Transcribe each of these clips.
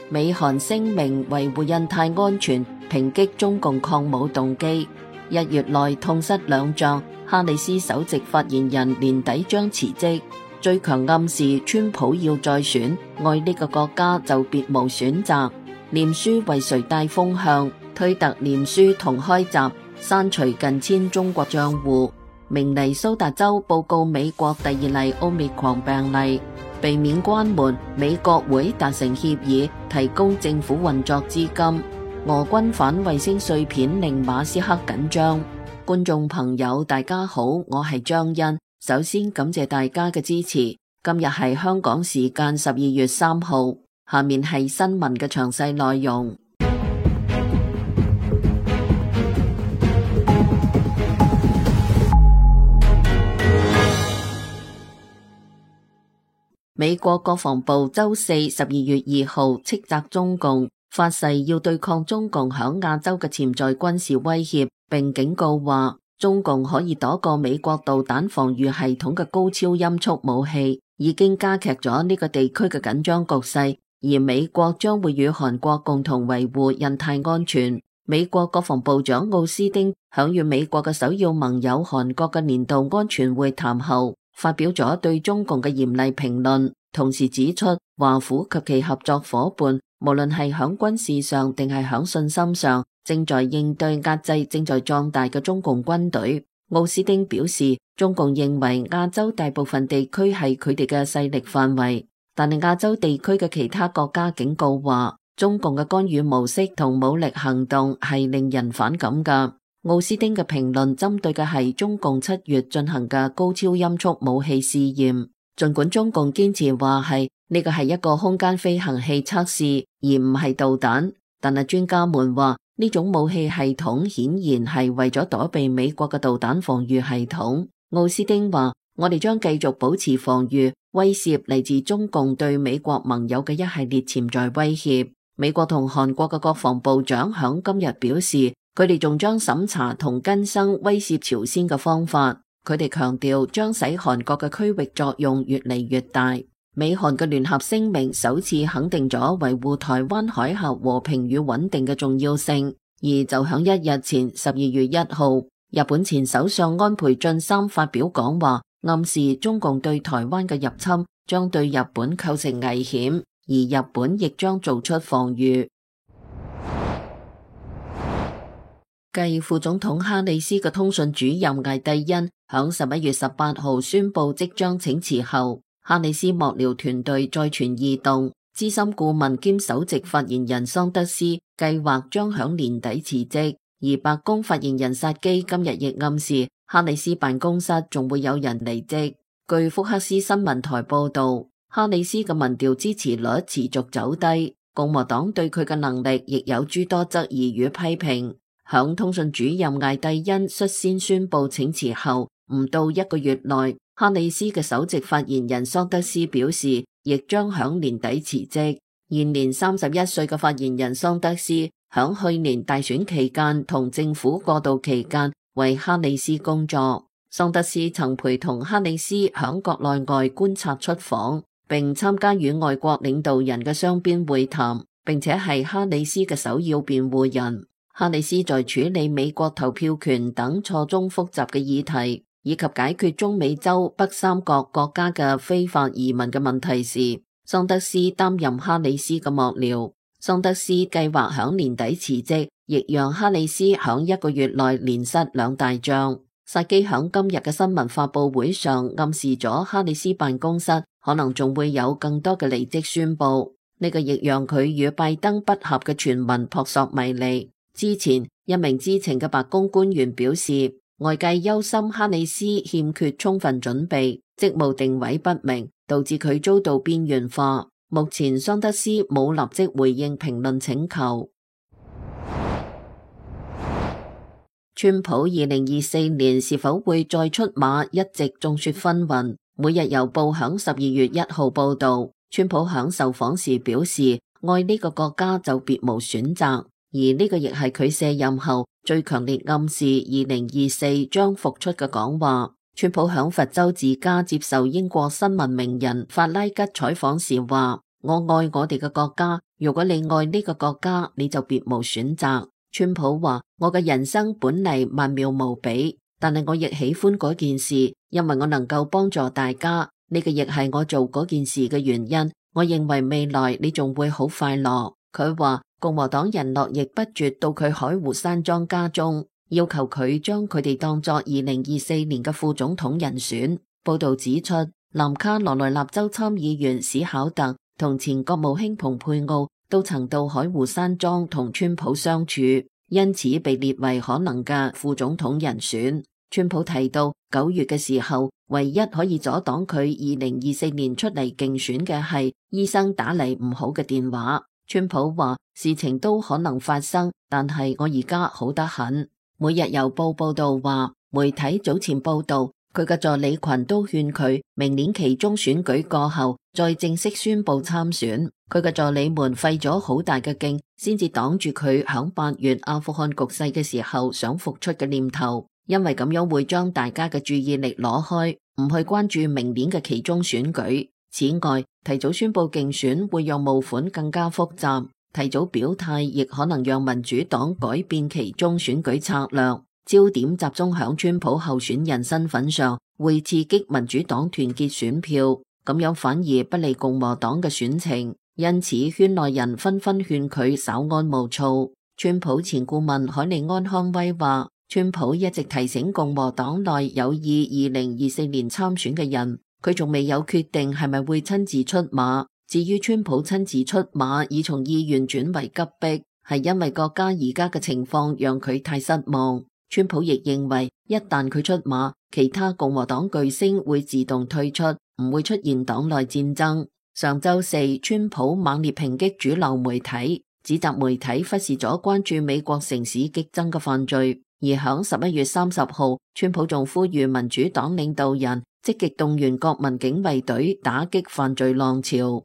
美韓聲明維護印太安全，抨擊中共抗武動機。1月內痛失2將，哈里斯首席發言人年底將辭職。最強暗示川普要再選，愛呢個國家就別無選擇。臉書為誰帶風向？推特臉書同開閘，刪除近千中國賬戶。明尼蘇達州報告美國第2例奧密克戎病例。避免關門，美國會達成協議，提供政府運作資金。俄軍反衛星碎片令馬斯克緊張。觀眾朋友大家好，我係張欣。首先感謝大家嘅支持。今日係香港時間12月3號，下面係新聞嘅詳細內容。美國國防部周四12月2號斥責中共，發誓要對抗中共響亞洲嘅潛在軍事威脅，並警告話中共可以躲過美國導彈防禦系統嘅高超音速武器，已經加劇咗呢個地區嘅緊張局勢，而美國將會與韓國共同維護印太安全。美國國防部長奧斯汀響與美國嘅首要盟友韓國嘅年度安全會談後，發表咗對中共嘅嚴厲評論，同時指出華府及其合作夥伴無論係響軍事上定係響信心上，正在應對壓制正在壯大嘅中共軍隊。奧斯汀表示，中共認為亞洲大部分地區係佢哋嘅勢力範圍，但係亞洲地區嘅其他國家警告話，中共嘅干預模式同武力行動係令人反感㗎。奧斯汀嘅評論針對嘅係中共7月進行嘅高超音速武器試驗，儘管中共堅持話係呢個係一個空間飛行器測試，而唔係導彈，但係專家們話呢種武器系統顯然係為咗躲避美國嘅導彈防禦系統。奧斯汀話：我哋將繼續保持防禦，威懾嚟自中共對美國盟友嘅一系列潛在威脅。美國同韓國嘅國防部長響今日表示，佢哋仲將審查同更新威懾朝鮮嘅方法。佢哋強調將使韓國嘅區域作用越嚟越大。美韓嘅聯合聲明首次肯定咗維護台灣海峽和平與穩定嘅重要性。而就響1日前12月1號，日本前首相安倍晉三發表講話，暗示中共對台灣嘅入侵將對日本構成危險，而日本亦將做出防禦。繼副總統哈里斯嘅通訊主任魏帝恩響11月18號宣布即將請辭後，哈里斯幕僚團隊再傳異動，資深顧問兼首席發言人桑德斯計劃將響年底辭職，而白宮發言人薩基今日亦暗示哈里斯辦公室仲會有人離職。據福克斯新聞台報道，哈里斯嘅民調支持率持續走低，共和黨對佢嘅能力亦有諸多質疑與批評。響通訊主任魏帝恩率先宣布請辭後，唔到1個月內，哈里斯嘅首席發言人桑德斯表示，亦將響年底辭職。現年31歲嘅發言人桑德斯，響去年大選期間同政府過渡期間為哈里斯工作。桑德斯曾陪同哈里斯響國內外觀察出訪，並參加與外國領導人嘅雙邊會談，並且係哈里斯嘅首要辯護人。哈里斯在處理美國投票權等錯綜複雜嘅議題，以及解決中美洲北三角國家嘅非法移民嘅問題時，桑德斯擔任哈里斯嘅幕僚。桑德斯計劃響年底辭職，亦讓哈里斯響1個月內連失2大將。薩基響今日嘅新聞發佈會上暗示咗哈里斯辦公室可能仲會有更多嘅離職宣佈，呢個亦讓佢與拜登不合嘅傳聞撲朔迷離。之前一名知情嘅白宮官員表示，外界憂心哈里斯欠缺充分準備，職務定位不明，導致佢遭到邊緣化。目前桑德斯冇立即回應評論請求。川普2024年是否會再出馬，一直眾說紛紜。每日郵報響12月1號報道，川普響受訪時表示，愛呢個國家就別無選擇。而呢個亦係佢卸任後最強烈暗示2024將復出嘅講話。川普響佛州自家接受英國新聞名人法拉吉採訪時話：我愛我哋嘅國家，如果你愛呢個國家，你就別無選擇。川普話：我嘅人生本嚟曼妙無比，但係我亦喜歡嗰件事，因為我能夠幫助大家。呢個亦係我做嗰件事嘅原因。我認為未來你仲會好快樂。佢話共和黨人絡繹不絕到佢海湖山莊家中，要求佢將佢哋當作2024年嘅副總統人選。報道指出，南卡羅來納州參議員史考特同前國務卿蓬佩奧都曾到海湖山莊同川普相處，因此被列為可能嘅副總統人選。川普提到9月嘅時候，唯一可以阻擋佢2024年出嚟競選嘅係醫生打嚟唔好嘅電話。川普話事情都可能發生，但係我而家好得很。每日郵報報道話，媒體早前報道佢嘅助理群都勸佢明年期中選舉過後再正式宣布參選。佢嘅助理們費咗好大嘅勁，先至擋住佢響8月阿富汗局勢嘅時候想復出嘅念頭。因為咁樣會將大家嘅注意力攞開，唔去關注明年嘅期中選舉。此外，提早宣布競選會讓募款更加複雜，提早表態亦可能讓民主黨改變期中選舉策略，焦點集中響川普候選人身份上，會刺激民主黨團結選票，咁樣反而不利共和黨嘅選情。因此，圈內人紛紛勸佢稍安毋躁。川普前顧問海利安康威話，川普一直提醒共和黨內有意2024年參選嘅人，佢仲未有決定係咪會親自出馬。至於川普親自出馬已從意願轉為急迫，係因為國家而家嘅情況讓佢太失望。川普亦認為一旦佢出馬，其他共和黨巨星會自動退出，唔會出現黨內戰爭。上週四，川普猛烈抨擊主流媒體，指責媒體忽視咗關注美國城市激增嘅犯罪。而響11月30號，川普仲呼籲民主黨領導人積極動員國民警衛隊打擊犯罪浪潮。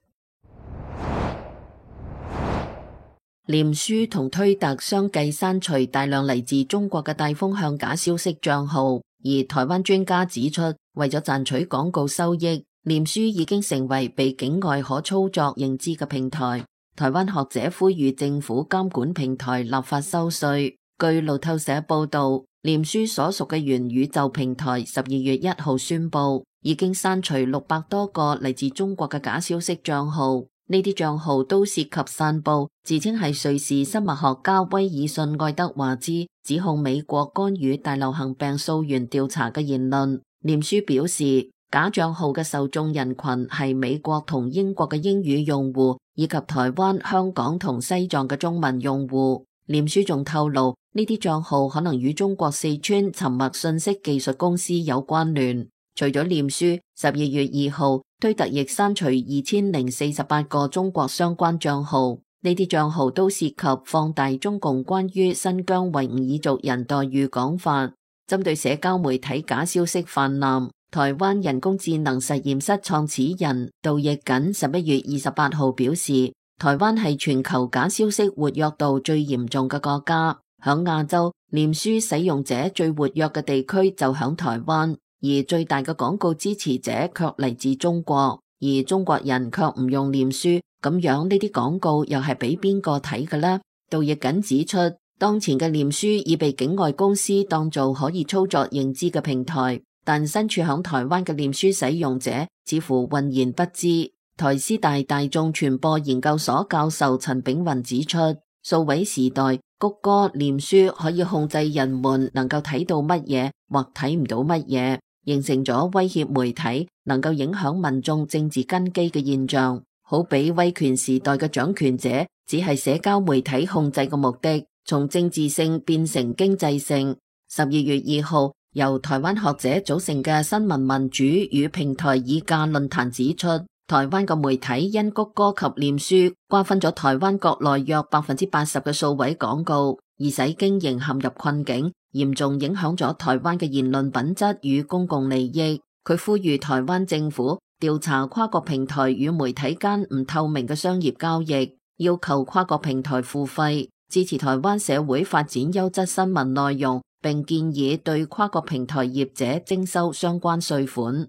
臉書同推特相繼刪除大量嚟自中國嘅帶風向假消息賬號，而台灣專家指出，為咗賺取廣告收益，臉書已經成為被境外可操作認知嘅平台。台灣學者呼籲政府監管平台立法收稅。據路透社報道，臉書所屬嘅元宇宙平台12月1號宣布，已經刪除600多個嚟自中國嘅假消息賬號。呢啲賬號都涉及散布自稱係瑞士生物學家威爾遜愛德華茲指控美國干預大流行病溯源調查嘅言論。臉書表示，假賬號嘅受眾人群係美國同英國嘅英語用戶，以及台灣、香港同西藏嘅中文用戶。臉書仲透露，呢啲賬號可能與中國四川沉默信息技術公司有關聯。除咗臉書，12月2號，推特亦刪除2048個中國相關賬號。呢啲賬號都涉及放大中共關於新疆維吾爾族人待遇講法。針對社交媒體假消息泛濫，台灣人工智能實驗室創始人杜奕瑾11月28號表示，台灣係全球假消息活躍度最嚴重嘅國家，響亞洲，臉書使用者最活躍嘅地區就響台灣，而最大嘅廣告支持者卻嚟自中國，而中國人卻唔用臉書，咁樣呢啲廣告又係俾邊個睇嘅呢？杜奕瑾指出，當前嘅臉書已被境外公司當做可以操作認知嘅平台，但身處響台灣嘅臉書使用者似乎渾然不知。台師大大眾傳播研究所教授陳炳雲指出，數位時代谷歌、臉書可以控制人們能夠睇到乜嘢或睇唔到乜嘢，形成咗威脅媒體能夠影響民眾政治根基嘅現象。好比威權時代嘅掌權者只係社交媒體控制嘅目的從政治性變成經濟性。12月2號，由台灣學者組成嘅新聞民主與平台議價論壇指出，台灣嘅媒體因谷歌及臉書瓜分咗台灣國內約80%嘅數位廣告，而使經營陷入困境，嚴重影響咗台灣嘅言論品質與公共利益。佢呼籲台灣政府調查跨國平台與媒體間唔透明嘅商業交易，要求跨國平台付費，支持台灣社會發展優質新聞內容，並建議對跨國平台業者徵收相關稅款。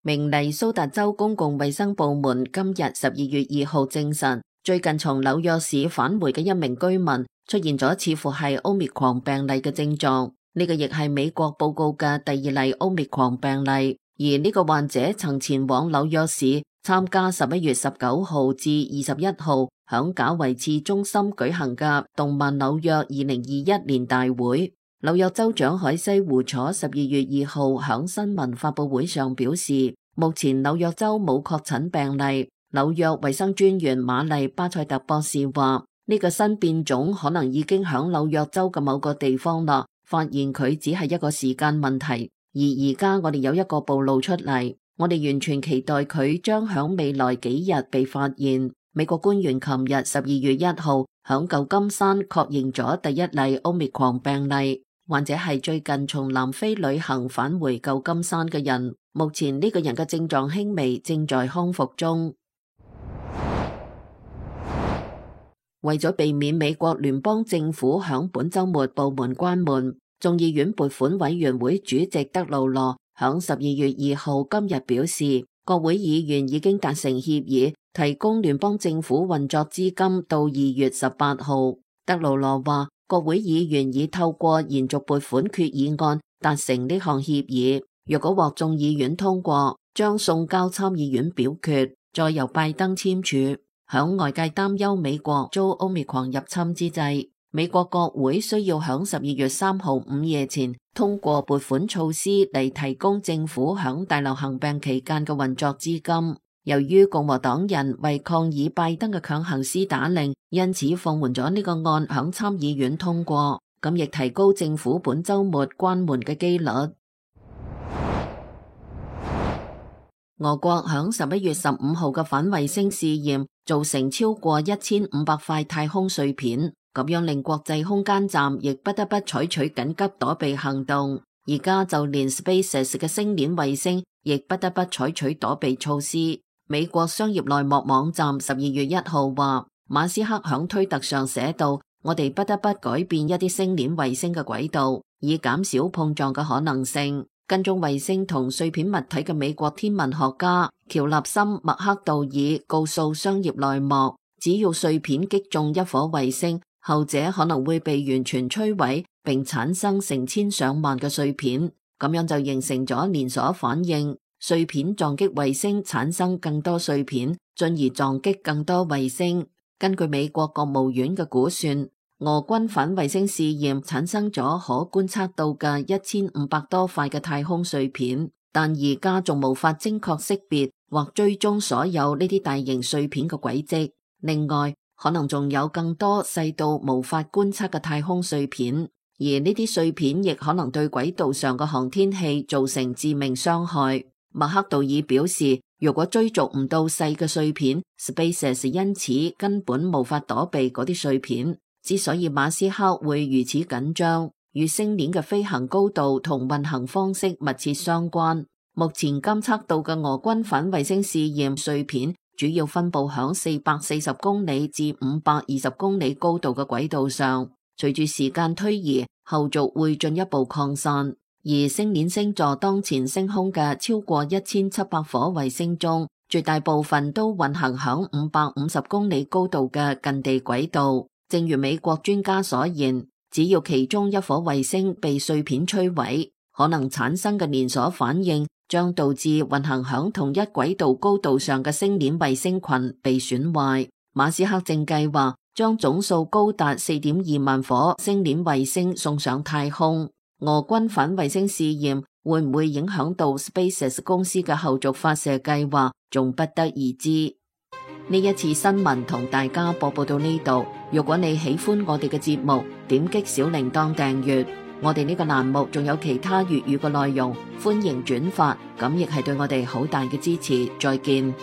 明尼蘇達州公共衛生部門今日12月2號證實，最近從紐約市返回嘅一名居民出現咗似乎係 Omicron 病例嘅症狀，呢個亦係美國報告嘅第2例 Omicron 病例。而呢個患者曾前往紐約市參加11月19號至21號響賈維茨中心舉行嘅動漫紐約2021年大會。紐約州長海西胡楚12月2號響新聞發佈會上表示，目前紐約州冇確診病例。紐約衛生專員瑪麗巴塞特博士話，呢個新變種可能已經響紐約州嘅某個地方啦，發現佢只係一個時間問題。而家我哋有一個暴露出嚟，我哋完全期待佢將響未來幾日被發現。美國官員琴日12月1號響舊金山確認咗第1例 Omicron 病例，患者係最近從南非旅行返回舊金山嘅人。目前呢個人嘅症狀輕微，正在康復中。為咗避免美國聯邦政府響本週末部門關門，眾議院撥款委員會主席德魯羅響12月2號今日表示，國會議員已經達成協議，提供聯邦政府運作資金到2月18號。德魯羅話，國會議員已透過延續撥款決議案達成呢項協議，若果獲眾議院通過，將送交參議院表決，再由拜登簽署。響外界擔憂美國遭 Omicron 入侵之際，美國國會需要響12月3號午夜前通過撥款措施嚟提供政府響大流行病期間嘅運作資金。由於共和黨人為抗議拜登嘅強行施打令，因此放緩咗呢個案響參議院通過，咁亦提高政府本週末關門嘅機率。俄國響11月15號嘅反衛星試驗造成超過1500塊太空碎片，咁樣令國際空間站亦不得不採取緊急躲避行動。而家就連 SpaceX 嘅星鏈衛星亦不得不採取躲避措施。美國商業內幕網站12月1號話，馬斯克響推特上寫道，我哋不得不改變一啲星鏈衛星嘅軌道，以減少碰撞嘅可能性。跟蹤衛星同碎片物體嘅美國天文學家喬納森·麥克道爾告訴商業內幕，只要碎片擊中一顆衛星，後者可能會被完全摧毀，並產生成千上萬嘅碎片，咁樣就形成咗連鎖反應，碎片撞擊衛星，產生更多碎片，進而撞擊更多衛星。根據美國國務院嘅估算，俄軍反衛星試驗產生咗可觀測到嘅1500多塊嘅太空碎片，但而家仲無法精確識別或追蹤所有呢啲大型碎片嘅軌跡。另外，可能仲有更多細到無法觀測嘅太空碎片，而呢啲碎片亦可能對軌道上嘅航天器造成致命傷害。麥克道爾表示，如果追逐唔到細嘅碎片， SpaceX 因此根本無法躲避嗰啲碎片。之所以馬斯克會如此緊張，與星鏈嘅飛行高度同運行方式密切相關。目前監測到嘅俄軍反衛星試驗碎片主要分布響440公里至520公里高度嘅軌道上，隨住時間推移，後續會進一步擴散。而星鏈星座當前升空嘅超過1700顆衛星中，絕大部分都運行響550公里高度嘅近地軌道。正如美國專家所言，只要其中一顆衛星被碎片摧毀，可能產生嘅連鎖反應將導致運行響同一軌道高度上嘅星鏈衛星群被損壞。馬斯克正計劃將總數高達4.2萬顆星鏈衛星送上太空。俄軍反衛星試驗會唔會影響到 SpaceX 公司嘅後續發射計劃，仲不得而知。呢一次新聞同大家播報到呢度。如果你喜歡我哋嘅節目，點擊小鈴鐺訂閱。我哋呢個欄目仲有其他粵語嘅內容，歡迎轉發，咁亦係對我哋好大嘅支持。再見。